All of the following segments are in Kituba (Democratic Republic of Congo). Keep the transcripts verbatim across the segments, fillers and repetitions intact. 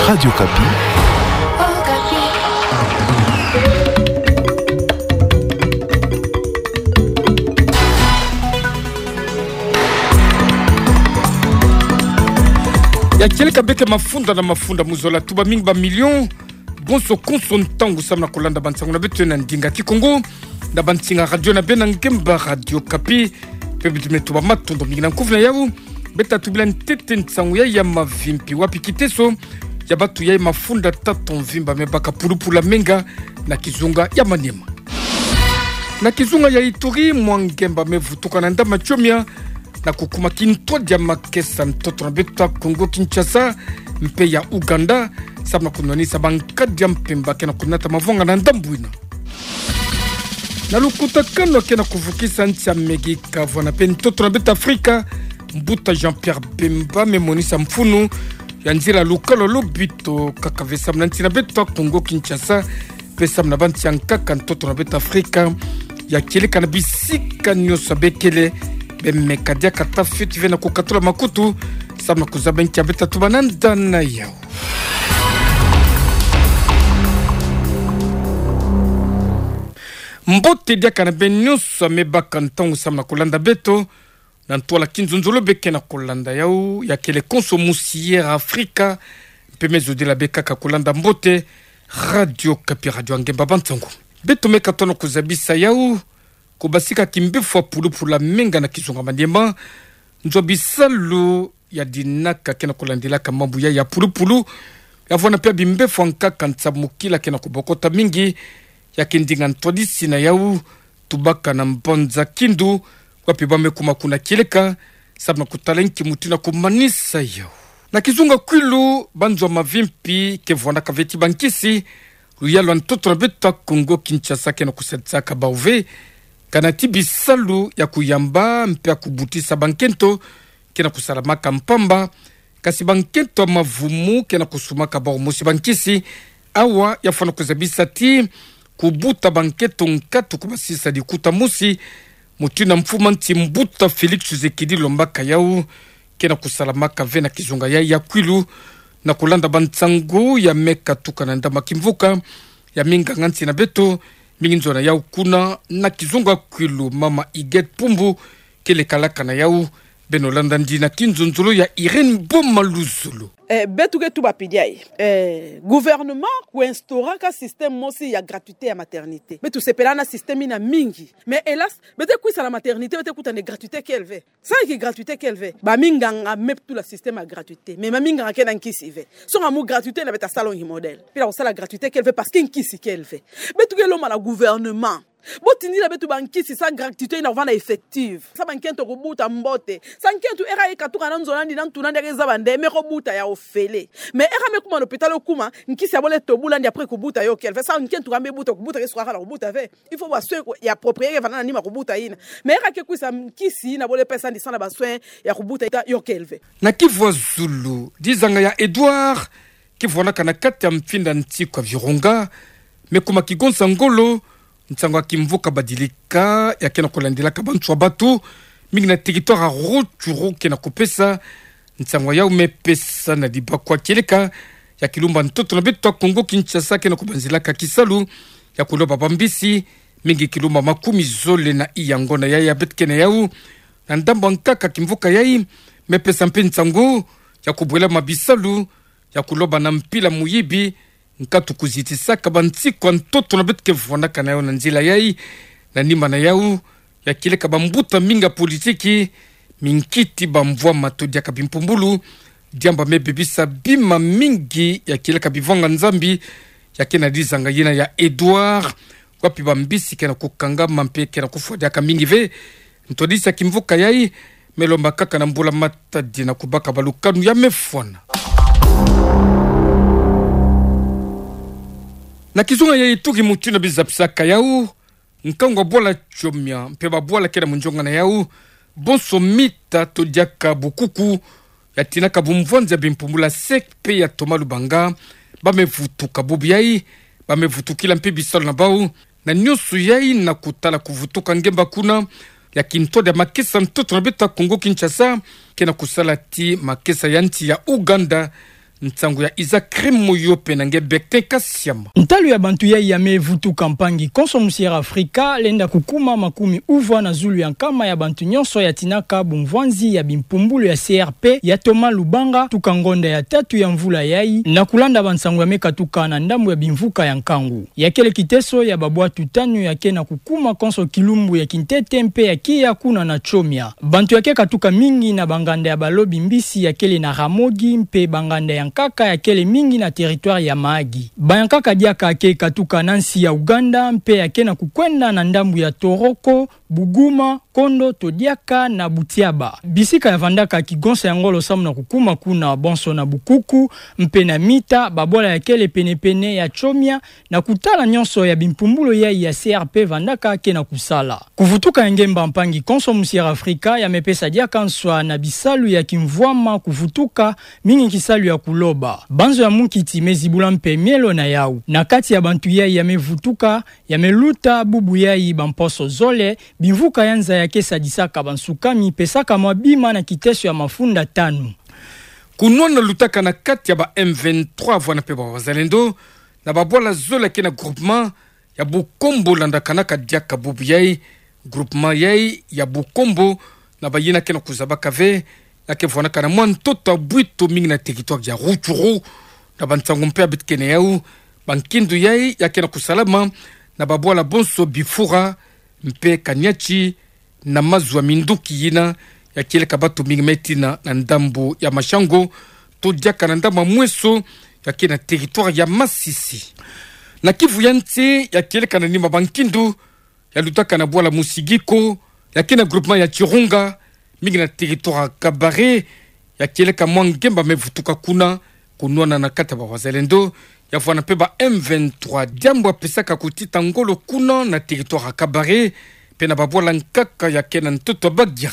Radio Okapi. Ya kieleka beke mafunda na mafunda mu zola, tuba mingi ba million. Bonso konso ntangu samu na kolanda bansangu na beto na ndinga Kikongo, na bansinga radio na beno ya ngemba Radio Okapi. Mpe beto me tuba matondo mingi. Na nkufi na yau, beta tubila ntete nsangu ya ya mavimpi wapi kiteso ya batu ya mafunda tatu mvimba me baka pulupulu ya menga na kizunga ya Maniema. Na kizunga ya Ituri, mwa ngemba me vutuka na ndama tiomia na kukuma kintwadi ya makesa ntoto na beto ya Kongo Kinshasa mpe ya Ouganda, samu na kunwanisa bankadi ya mpemba ke na kunata mavwanga na ndambu ina. Na lukutakanu ke na kuvukisa nsi ya Amerika, vwanda mpe ntoto na beto Afrika, mbuta Jean-Pierre Bemba me monisa mfunu ya nzila lukalo lobito kaka ve samu na nsi na beto ya Kongo Kinshasa, mpe samu na bansi ya nkaka ntoto na beto Afrika ya kieleka na bisika nyonso bekele. Be me kadia kata fioti ve na kukatula makutu samu na kuzaba nki ya beta tuba na nda na yau. Mbote diaka na beno nyonso ya me baka ntangu samu na kolanda beto na ntwala kinzonzolo beke na kolanda yau, ya kele konso musi Air Afrika, mpe me zodila be kaka kolanda mbote Radio Okapi, radio ya ngemba bansangu. Beto me katono kuzabisa yau, kubasika kimbefo ya pulupulu ya menga na kizunga Maniema, nzo ya bisalu ya dinaka ke na kulandilaka mambu ya ya pulupulu, ya vwanda mpe ya bimbefo ya nkaka nsamukila ke na kubokota mingi, ya kindinga ntwadisi na yau, tubaka na mbanza Kindu, wapi ba me kuma kuna kieleka samu na kutala nki mutu na kumanisa yau. Na kizunga Kwilu, banzo ya mavimpi ke vwandaka ve ti bankisi, luyalu ya ntoto na beto ya Kongo Kinshasa ke na kusadisaka bau ve, kana ti bisalu ya kuyamba mpe ya kubutisa bankento ke na kusalamaka mpamba, kasi bankento ya mavumu ke na kusumaka bau mosi bankisi. Awa ya fwana kuzabisa ti kubuta bankento nkatu kubasisa likuta mosi, mutu na mfumu ya nsi mbuta Félix Tshisekedi lombaka yau, ke na kusalamaka ve na kizunga ya ya Kwilu. Na kulanda bansangu ya me katuka na ndama kimvuka ya minganga nsi na beto, mingi nzo na yau kuna na kizunga Kwilu, mama Huguette Pumbu ke lekalaka na yau. Beno landa ndina kinzonzolo ya Irène Boma Luzolo. Eh, beto ke tuba pidi aye. Eh, gouvernement ku instauraka système mosi ya gratuité ya maternité. Beto sepelaka na système ina mingi. Mais hélas, beto ke kwisa na maternité, beto ke kuta nde gratuité kele ve. Salu ki gratuité kele ve. Baminganga me tula système ya gratuité. Mais baminganga ke na nkisi ve. Songa mu gratuité ina beto ta sala ongi modèle. Mpila kusala gratuité kele ve parce que nkisi kele ve. Beto ke lomba na gouvernement, botindila beto bankisi salu gratuité ina kuvanda effective. Salu bankento kubuta mbote. Salu nkento, era ye katuka na nzo na ndi na ntu na ndi, ake zaba nde me kubuta ya ofele. Mais era me kuma na hôpital, kuma nkisi ya bole tobula ndi, après kubuta yo kele ve. Salu nkento ka me buta, kubuta ke sukaka na kubuta ve. Il faut ba soins ya approprié ke vanda na nima kubuta ina. Mais era ke kwisa, nkisi ina bole pesa ndi salu na ba soins ya kubuta ita yo kele ve. Na kivwa zulu, dizanga ya Edouard, kivwanaka na kati ya mfinda nsi kwa Virunga, me kuma kigonsa ngolo, nsangu ya kimvuka badilika ya ke na kulandilaka bantu ya bato, mingi na territoire ya Rutshuru ke na kupesa. Nsangu ya yau me pesa na dibakwa kieleka ya kilumba ntoto na beto ya Kongo Kinshasa ke na kubanzilaka kisalu ya kuloba bambisi, mingi kilumba makumi zole na iya ngonda ya ya beto ke na yau. Na ndambu ya nkaka kimvuka yai, me pesa mpe nsangu ya kubwelama bisalu ya kuloba na mpila muyibi, nkatu kuzitisaka bansi kwa ntoto na beto ke vwanaka na yau na nzila yai. Na nima na yau, ya kieleka bambuta mingi ya politiki, minkiti bamvwama to diaka bimpumbulu, diambu me bebisa bima mingi ya kieleka bivanga Nzambi, ya ke na dizanga yina ya Edouard, wapi bambisi ke na kukangama mpe ke na kufwa diaka mingi ve. Ntwadisi ya kimvuka yai, me lomba kaka na mbula matadi na kubaka balukanu ya me fwana. Na kizunga ya Ituri, mutu na bizapisaka yau, nkangu ya bwala Chomia mpe babwala ke na munzonga na yau, bonso mita to diaka bukuku, ya tinaka bumvwanzi ya bimpumbulu ya SEC mpe ya Thomas Lubanga, ba me vutuka bubu yai, ba me vutukila mpe bisalu na bau, na nyonso yai na kutala kuvutuka ngemba kuna ya kintwadi ya makesa ntoto na beto ya Kongo Kinshasa, ke na kusala ti makesa ya nsi ya Ouganda, Nsangu ya Isaac Krim Moyope na nge Bektin Kasiama. Ntalu ya bantu yai ya me vutuka mpangi konso mu Sierra Afrika lenda kukuma makumi uvwa na zulu ya nkama ya bantu nyonso ya tinaka bumvwanzi ya bimpumbulu ya C R P ya Thomas Lubanga tuka ngonda ya tatu ya mvula yai, na kulanda bansangu ya me katuka na ndambu ya bimvuka ya nkangu. Ya kele kiteso ya babwatu tanu ya ke na kukuma konso kilumbu ya kintete mpe ya kiya kuna na Tchomia. Bantu ya ke katuka mingi na banganda ya balobi mbisi ya kele na Ramogi mpe banganda ya nkaka ya kele mingi na territoire ya Mahagi. Bayankaka diaka ke katuka na nsi ya Uganda mpe ya ke na kukwenda na ndambu ya Toroko, Buguma, Kondo, Todiaka na Butiaba. Bisika ya vandaka kigonsa ya ngolo samu na kukuma kuna bonso na Bukuku mpe na Mita, babwala ya kele penepene ya Tchomia, na kutala nyonso ya bimpumbulu yai ya C R P vandaka ke na kusala. Kuvutuka ya ngemba mpangi konso mu Sierra Afrika ya me pesa diaka nswa na bisalu ya kimvwama kuvutuka, mingi kisalu ya kuloba. Banzo ya munkiti me zibula mpe mielo na yau. Na kati ya bantu yai ya me vutuka, ya me luta bubu yai bamposo zole, bimvuka ya nza ya ke sadisaka bansukami pesaka mwa bima na kiteso ya mafunda tanu. Kunwana lutaka na kati ya ba M vingt-trois vwana mpe ba wazalendo, na babwala zole ya ke na groupement ya Bukombo landakanaka diaka bubu yai, groupement yai ya Bukombo, na bayina ke na kuzabaka ve, ya ke vwanaka na mwa ntoto ya bwito mingi na territoire ya Rutshuru, na bansangu mpe ya beto ke na yau, bankindu yai ya ke na kusalama na babwala bonso Bifura mpe Kaniatshi, na mazu ya minduki yina ya kieleka bato mingi me tina na ndambu ya Mashango, to diaka na ndambu ya Mweso ya ke na territoire ya Masisi. Na Kivu ya nsi ya kieleka na nima bankindu ya lutaka na bwala Musigiko ya ke na groupement ya Chirunga, mingi na territoire ya Kabare, ya kieleka mwa ngemba me vutuka kuna, kunwana na kati ya ba wazalendo ya vwana mpe ba M vingt-trois, diambu ya pesaka kutita ngolo kuna na territoire ya Kabare, mpe na babwala nkaka ya ke na ntoto ya Bagira.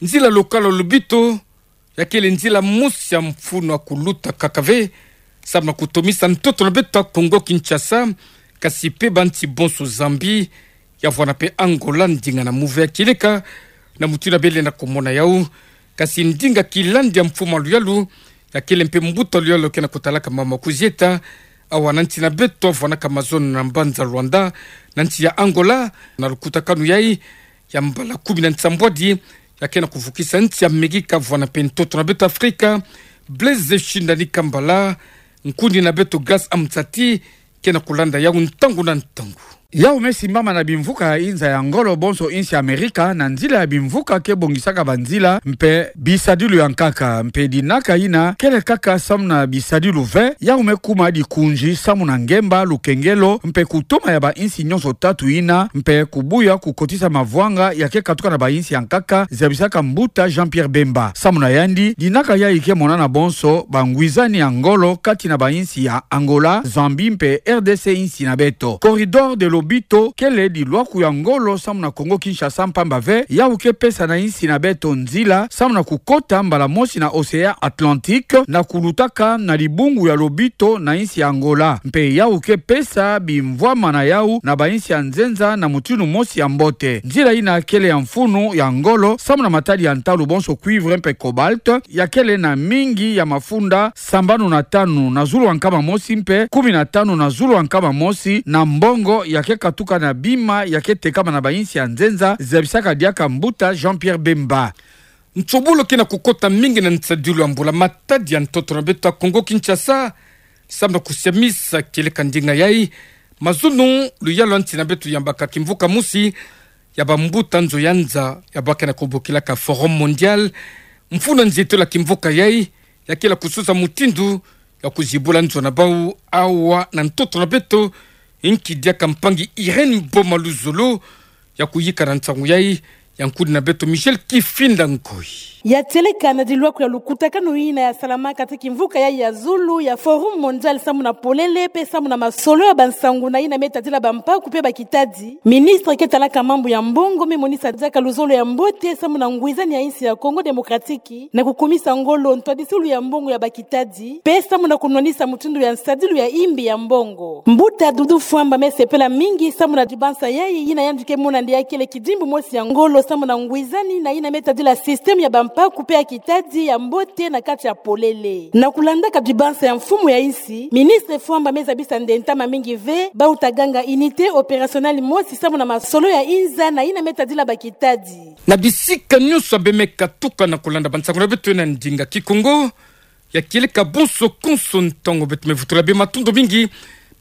Nzila lokala lobito ya kele nzila mosi ya mfunu ya kuluta kaka ve, samu na kutomisa ntoto na beto ya Congo Kinshasa, kasi mpe bansi bonso, Zambie, ya vwana mpe Angola, ndinga na muve ya kieleka na mutindu ya bele na komona yau. Kasi ndinga kilandi ya mfumu ya luyalu, ya kele mpe mbuta luyalu ke na kutalaka mama kuzieta, awa na nsi na beto ya vwanaka mazono na mbanza Luanda, na nsi ya Angola, na lukutakanu yai ya mbala kumi na nsambwadi, ya ke na kuvukisa nsi ya Amerika vwana mpe ntoto na beto Afrika, Blaise Shindani Kambala, nkundi na beto Grace Amzati, ke na kulanda yau ntangu na ntangu. Yau me simbama na bimvuka ya inza ya ngolo bonso insi ya Amerika, na nzila ya bimvuka ke bongisaka banzila mpe bisadilu ya nkaka, mpe dinaka yina kele kaka samu na bisadilu ve, yau me kuma dikunzi samu na ngemba, lukengelo, mpe kutoma ya bainsi nyonso tatu yina, mpe kubuya kukotisa mavwanga ya ke katuka na bainsi ya nkaka, zabisaka mbuta Jean-Pierre Bemba. Samu na yandi, dinaka yai ke monana bonso bangwizani ya ngolo kati na bainsi ya Angola, Zambie mpe R D C, insi na beto. Corridor de Lobito kele dilwaku ya ngolo samu na Congo Kinshasa, mpamba ve yau ke pesa na insi na beto nzila samu na kukota mbala mosi na Océan Atlantique, na kulutaka na dibungu ya Lobito na insi ya Angola. Mpe yau ke pesa bimvwama na yau na bainsi ya nzenza na mutindu mosi ya mbote. Nzila yina kele ya mfunu ya ngolo samu na matadi ya ntalu bonso cuivre mpe cobalt, ya kele na mingi ya mafunda sambanu na tanu na zulu ya nkama mosi mpe kumi na tanu na zulu ya nkama mosi na mbongo ya ke katuka na bima ya ke tekama na bainsi ya nzenza, zabisaka diaka mbuta Jean-Pierre Bemba. Nsobolo ke na kukota mingi na nsadilu ya mbula-matadi ya ntoto na beto ya Congo Kinshasa, samu na kusiamisa kieleka ndinga yai, mazono, luyalu ya nsi na beto yambaka kimvuka mosi ya bambuta nzo ya nza ya bwa ke na kubokilaka Forum Mondial, mfunu ya nzietolo ya kimvuka yai, ya kele kusosa mutindu ya kuzibula nzo na bau awa na ntoto na beto. Nki diaka mpangi Irène Boma Luzolo ya kuyika na nsangu yai, ya nkundi na beto Michel Kifinda Ngoi. Ya tieleka na dilwaku ya lukutakanu yina ya salamaka ti kimvuka yai ya zulu ya Forum Mondial samu na polele mpe samu na masolo ya bansangu na yina me tadila bampaku mpe bakitadi, ministre ke talaka mambu ya mbongo me monisa diaka luzolo ya mbote samu na ngwizani ya insi ya Congo Démocratique na kukumisa ngolo ntwadisilu ya mbongo ya bakitadi, mpe samu na kunwanisa mutindu ya nsadilu ya imbi ya mbongo. Mbuta Doudou Fwamba me sepela mingi samu na dibansa yai, yina yandi ke mona nde ya kele kidimbu mosi ya ngolo samu na ngwizani na yina me tadila système ya ba Bakupe ya kitadi ya mbote na kati ya polele. Na kulandaka bibansa ya mfumu ya insi, ministre Fwamba me zabisa nde ntama mingi ve, bau ta ganga unité opérationnelle mosi samu na masolo ya inza na yina me tadila bakitadi. Na bisika nyonso bemeka tuka na kulanda bansango na beto na ndinga Kikongo, ya kieleka bonso konso ntango beto me vutula bima matondo mingi,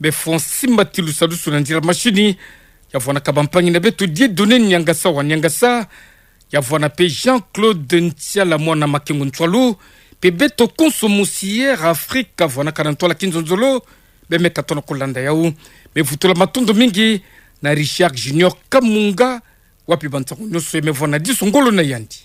be Francis Matilusa Lusu na nzila mashini, ya vwanaka bampangi na beto Dieudonné Niangasa wa Niangasa, ya vwana pe Jean-Claude Ntiala mwana Makengo Ntswalu, pe beto konso mosi Air Afrique vwanaka na ntwala kinzonzolo, bemeka tona kulanda yau. Me vutula matondo mingi na Richard Junior Kamunga, wapi bansango nyonso ye me vwana diso ngolo na yandi.